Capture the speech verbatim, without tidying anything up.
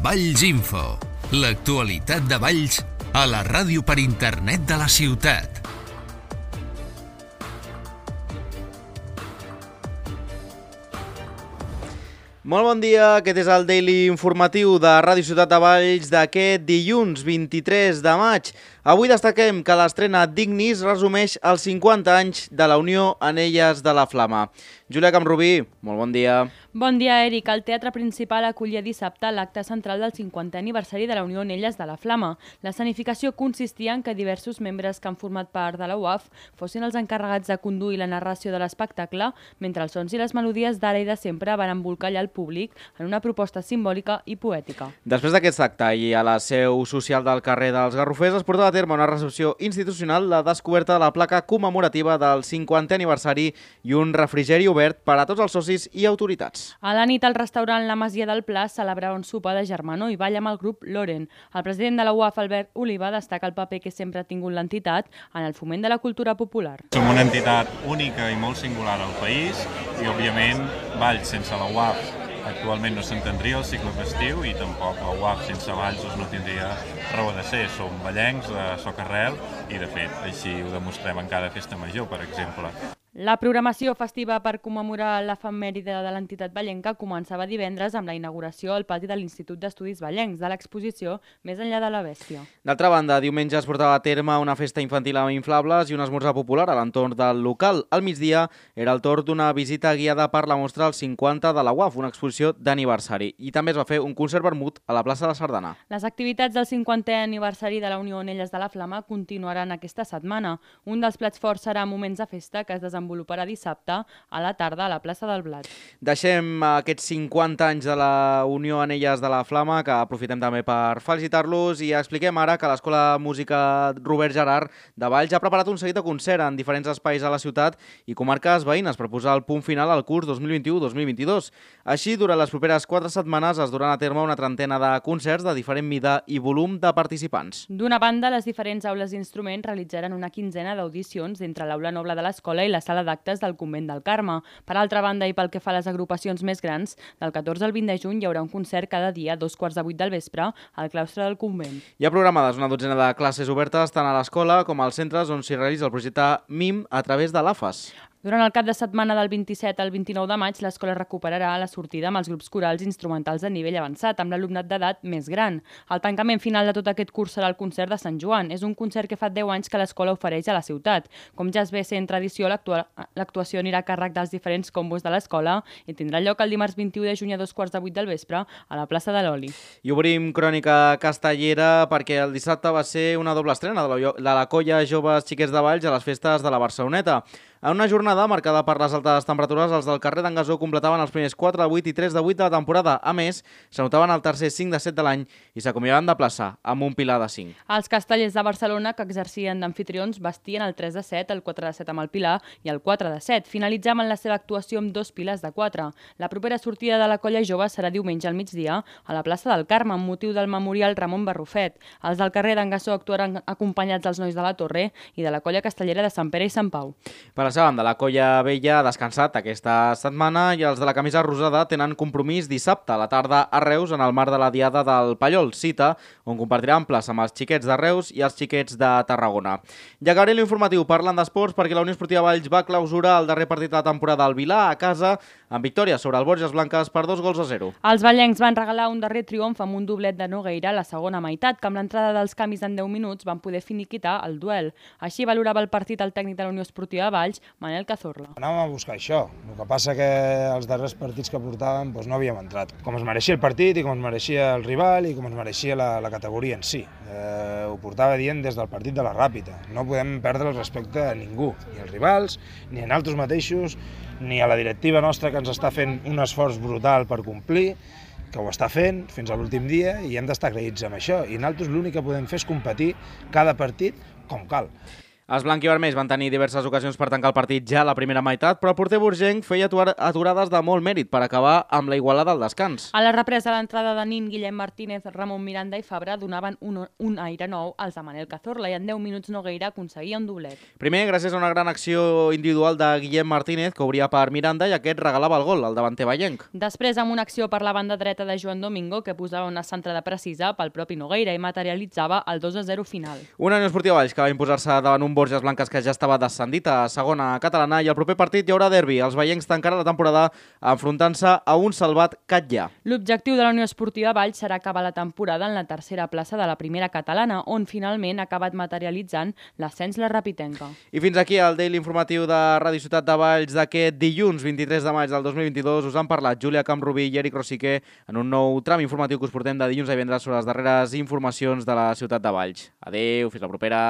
Valls Info, l'actualitat de Valls a la ràdio per internet de la ciutat. Molt bon dia, aquest és el Daily Informatiu de Ràdio Ciutat de Valls d'aquest dilluns vint-i-tres de maig. Avui destaquem que l'estrena Dignis resumeix els cinquanta anys de la Unió Anelles de la Flama. Júlia Camrubí, molt bon dia. Bon dia, Eric. El Teatre Principal acollia dissabte l'acte central del cinquantè aniversari de la Unió Anelles de la Flama. L'escenificació consistia en que diversos membres que han format part de la U A F fossin els encarregats de conduir la narració de l'espectacle, mentre els sons i les melodies d'ara i de sempre van embolcallar el públic en una proposta simbòlica i poètica. Després d'aquest acte i a la seu social del carrer dels Garrofers es portava a terme una recepció institucional, la descoberta de la placa commemorativa del cinquantè aniversari i un refrigeri obert per a tots els socis i autoritats. A la nit, al restaurant La Masia del Pla celebrava un sopar de germanor i ball amb el grup Loren. El president de la U A F, Albert Oliva, destaca el paper que sempre ha tingut l'entitat en el foment de la cultura popular. Som una entitat única i molt singular al país i, òbviament, Valls sense la U A F actualment no s'entendria el cicle festiu i tampoc la U A F sense Valls no tindria raó de ser. Som vallencs de socarrel i, de fet, així ho demostrem en cada festa major, per exemple. La programació festiva per commemorar l'efemèride de l'entitat vallenca començava divendres amb la inauguració al pati de l'Institut d'Estudis Vallencs de l'exposició Més enllà de la bèstia. D'altra banda, diumenge es portava a terme una festa infantil amb inflables i un esmorzar popular a l'entorn del local. Al migdia era el torn d'una visita guiada per la mostra als cinquanta de la U A F, una exposició d'aniversari. I també es va fer un concert vermut a la plaça de la Sardana. Les activitats del cinquantè aniversari de la Unió Anelles de la Flama continuaran aquesta setmana. Un dels plats forts serà Moments de Festa, que es desenvoluparà desenvoluparà dissabte a la tarda a la plaça del Blat. Deixem aquests cinquanta anys de la Unió Anelles de la Flama, que aprofitem també per felicitar-los, i expliquem ara que l'Escola Música Robert Gerard de Valls ha preparat un seguit de concert en diferents espais a la ciutat i comarques veïnes per posar el punt final al curs dos mil vint-i-u dos mil vint-i-dos. Així, durant les properes quatre setmanes es duran a terme una trentena de concerts de diferent mida i volum de participants. D'una banda, les diferents aules d'instruments realitzaran una quinzena d'audicions entre l'aula noble de l'escola i la sala d'actes del Convent del Carme. Per altra banda, i pel que fa a les agrupacions més grans, del catorze al vint de juny hi haurà un concert cada dia a dos quarts de vuit del vespre al claustre del convent. Hi ha programades una dotzena de classes obertes tant a l'escola com als centres on s'hi realitza el projecte M I M a través de l'A F A S. Durant el cap de setmana del vint-i-set al vint-i-nou de maig, l'escola recuperarà la sortida amb els grups corals instrumentals de nivell avançat, amb l'alumnat d'edat més gran. El tancament final de tot aquest curs serà el concert de Sant Joan. És un concert que fa deu anys que l'escola ofereix a la ciutat. Com ja es ve sent tradició, l'actuació anirà a càrrec dels diferents combos de l'escola i tindrà lloc el dimarts vint-i-u de juny a dos quarts de vuit del vespre a la plaça de l'Oli. I obrim crònica castellera perquè el dissabte va ser una doble estrena de la, de la colla Joves Xiquets de Valls a les festes de la Barceloneta. En una jornada marcada per les altes temperatures, els del carrer d'en Gasó completaven els primers quatre de vuit i tres de vuit de la temporada. A més, s'anotaven el tercer cinc de set de l'any i s'acomiadaven de plaça amb un pilar de cinc. Els castellers de Barcelona, que exercien d'amfitrions, vestien el tres de set, el quatre de set amb el pilar i el quatre de set. Finalitzaven la seva actuació amb dos pilars de quatre. La propera sortida de la colla jove serà diumenge al migdia a la plaça del Carme, amb motiu del memorial Ramon Barrufet. Els del carrer d'en Gasó actuaran acompanyats dels nois de la Torre i de la colla castellera de Sant Pere i Sant Pau. Per la seva banda, la colla vella ha descansat aquesta setmana i els de la camisa rosada tenen compromís dissabte a la tarda a Reus en el marc de la Diada del Pallol, cita on compartiran plaça amb els xiquets de Reus i els xiquets de Tarragona. I acabaré l'informatiu parlant d'esports perquè la Unió Esportiva Valls va clausurar el darrer partit de la temporada al Vilà a casa amb victòria sobre el Borges Blanques per dos gols a zero. Els vallencs van regalar un darrer triomf amb un doblet de Nogueira a la segona meitat, que amb l'entrada dels canvis en deu minuts van poder finiquitar el duel. Així valorava el partit el tècnic de la Unió Esportiva Valls, Manel Cazorla. Anàvem a buscar això, el que passa que els darrers partits que portàvem doncs no havíem entrat. Com es mereixia el partit i com es mereixia el rival i com es mereixia la, la categoria en si. Eh, ho portava dient des del partit de la Ràpita. No podem perdre el respecte a ningú, ni als rivals, ni a nosaltres mateixos, ni a la directiva nostra que ens està fent un esforç brutal per complir, que ho està fent fins a l'últim dia i hem d'estar agraïts amb això. I nosaltres l'únic que podem fer és competir cada partit com cal. Els blanquivermells van tenir diverses ocasions per tancar el partit ja a la primera meitat, però el porter burgenc feia aturades de molt mèrit per acabar amb la igualada al descans. A la represa, l'entrada de Nin, Guillem Martínez, Ramon Miranda i Fabra donaven un, un aire nou als de Manel Cazorla i en deu minuts Nogueira aconseguia un doblet. Primer, gràcies a una gran acció individual de Guillem Martínez, que obria per Miranda i aquest regalava el gol, el davanter vallenc. Després, amb una acció per la banda dreta de Joan Domingo, que posava una centrada precisa pel propi Nogueira i materialitzava el dos a zero final. Una Unió Esportiva Valls que va imposar-se davant un Borges Blanques que ja estava descendit a segona catalana i el proper partit hi haurà derbi. Els vallencs tancaran la temporada enfrontant-se a un salvat Catllà. L'objectiu de la Unió Esportiva Valls serà acabar la temporada en la tercera plaça de la primera catalana, on finalment ha acabat materialitzant l'ascens la Rapitenca. I fins aquí el Daily Informatiu de Ràdio Ciutat de Valls d'aquest dilluns vint-i-tres de maig del dos mil vint-i-dos. Us han parlat Júlia Camprubí i Eric Rosiquer en un nou tram informatiu que us portem de dilluns a divendres sobre les darreres informacions de la ciutat de Valls. Adéu, fins la propera.